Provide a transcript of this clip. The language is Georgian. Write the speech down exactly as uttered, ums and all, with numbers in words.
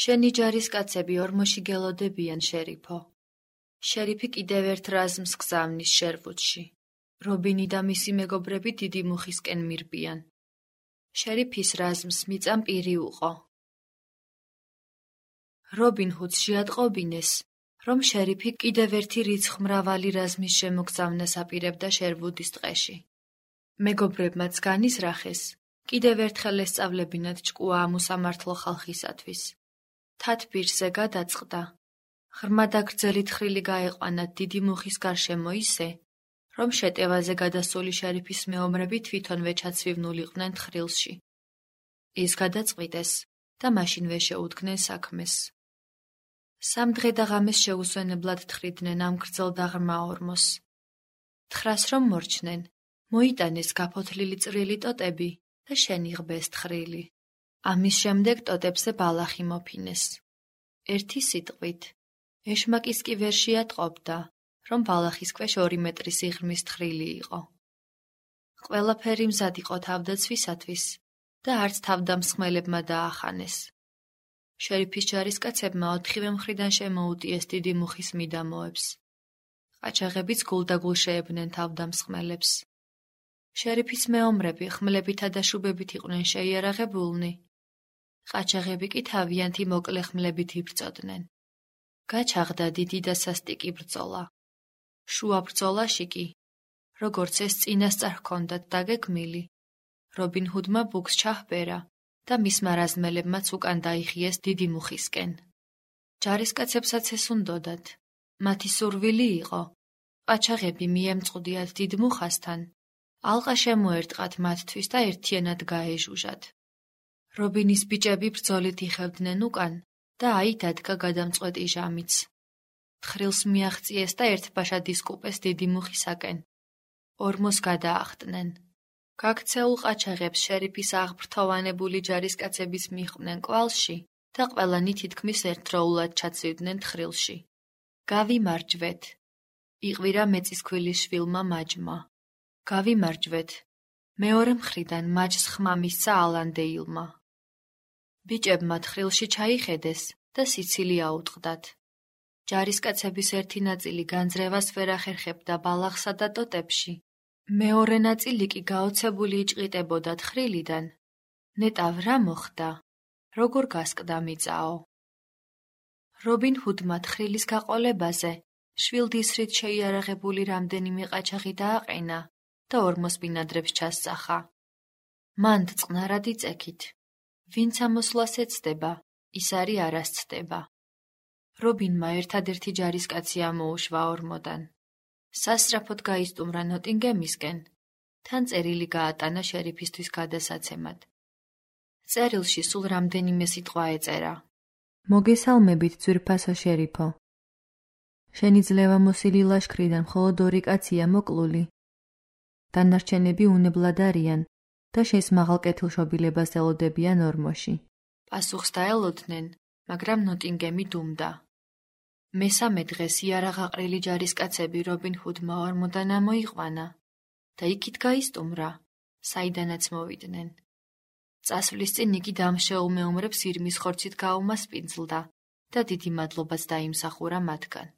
შენი ჯარისკაცები ორმოში გელოდებიან, შერიფო. შერიფი კიდევ ერთ რაზმს გზავნის შერვუდში. რობინი და მისი მეგობრები დიდი მუხისკენ მირბიან. შერიფის რაზმს მიწამ პირი უყო. რობინ ჰუდს შეატყობინეს, რომ შერიფი კიდევ ერთი რიცხმრავალი რაზმის შემოგზავნას აპირებდა შერვუდის ტყეში. მეგობრებმაც განიზრახეს, კიდევ ერთხელ ესწავლებინათ ჭკუა ამ უსამართლო ხალხისათვის. თათბირზე გადაწყდა. ღრმა და გრძელი თხრილი გაეყვანათ დიდი მუხის გარშემო ისე, რომ შეტევაზე გადასული შერიფის მეომრები თვითონვე ჩაცვივნულიყვნენ თხრილში. ის გადაწყვიტეს და მაშინვე შეუდგნენ საქმეს. სამ დღე და ღამეს შეუსვენებლად თხრიდნენ ამ გრძელ და ღრმა ორმოს. თხრას რომ მორჩნენ, მოიტანეს გაფოთლილი წვრილი ტოტები და შენიღბეს თხრილი. ამის შემდეგ ტოტებზე ბალახი მოფინეს. ერთი სიტყვით, ეშმაკის კი ვერ შეატყობდა, რომ ბალახის ქვეშ ორი მეტრი სიღრმის თხრილი იყო. ყველაფერი მზად იყო თავდაცვისათვის და არც თავდამსხმელებმა დაახანეს. შერიფის ჯარისკაცებმა ოთხივე მხრიდან შემოუტიეს დიდი მუხის მიდამოებს. ყაჩაღებიც გულდაგულ შეებნენ თავდამსხმელებს. შერიფის მეომრები ხმლებითა და შუბებით იყვნენ შეიარაღებულნი. ყაჩაღები კი თავიანთი მოკლე ხმლებით იბრძოდნენ. გაჩაღდა დიდი და სასტიკი ბრძოლა. შუა ბრძოლაში კი, როგორც ეს წინასწარ ჰქონდათ დაგეგმილი, რობინ ჰუდმა ბუქს ჩაჰბერა და მისმა რაზმელებმაც უკან დაიხიეს დიდი მუხისკენ. ჯარისკაცებსაც ეს უნდოდათ. მათი სურვილი იყო, ყაჩაღები მიემწყდიათ დიდ მუხასთან, ალყა შემოერტყათ მათთვის და ერთიანად გაეჟუჟათ. რობინის ბიჭები ბრძოლით იხევდნენ უკან და აი დადგა გადამწყვეტი ჟამიც. თხრილს მიაღწიეს და ერთბაშად ისკუპეს დიდი მუხისაკენ. ორმოს გადაახტნენ. გაქცეულ ყაჩაღებს შერიფის აღბრთოვანებული ჯარისკაცების მიჰყვნენ კვალში და ყველანი თითქმის ერთდროულად ჩაცივდნენ თხრილში. გავიმარჯვეთ, იყვირა მეწისქვილის შვილმა მაჯმა. გავიმარჯვეთ, მეორე მხრიდან მაჯს ხმა მისცა ალანდეილმა. ბიჭებმა თხრილში ჩაიხედეს და სიცილი აუტყდათ. ჯარისკაცების ერთი ნაწილი განძრევას ვერ ახერხებდა ბალახსა და ტოტებში. მეორე ნაწილი კი გაოცებული იჭყიტებოდა თხრილიდან. ნეტავ რა მოხდა? როგორ გასკდა მიწაო? რობინ ჰუდმა თხრილის გაყოლებაზე შვილდისრით შეიარაღებული რამდენიმე ყაჩაღი დააყენა და ორმოს ბინადრებს ჩასწახა. მანდ წყნარად იწექით. ვინც ამოსვლას ეცდება, ის არი არ ასცდება. რობინმა ერთადერთი ჯარისკაცი ამოუშვა ორმოდან. სასწრაფოდ გაისტუმრა ნოტინგემისკენ, თან წერილი გაატანა შერიფისთვის გადასაცემად. წერილში სულ რამდენიმე სიტყვა ეწერა. მოგესალმებით, ძვირფასო შერიფო. შენი ძლევამოსილი ლაშქრიდან მხოლოდ ორი კაცია მოკლული. დანარჩენები უნებლად არიან და შენს მაღალ კეთილშობილებას ელოდებიან ორმოში. პასუხს დაელოდნენ, მაგრამ ნოტინგემი დუმდა. მესამე დღეს იარაღაყრილი ჯარისკაცები რობინ ჰუდმა ორმოდან ამოიყვანა და იქით გაისტუმრა, საიდანაც მოვიდნენ. წასვლის წინ იგი დამშეულ მეომრებს ირმის ხორცით გაუმასპინძლდა და დიდი მადლობაც დაიმსახურა მათგან.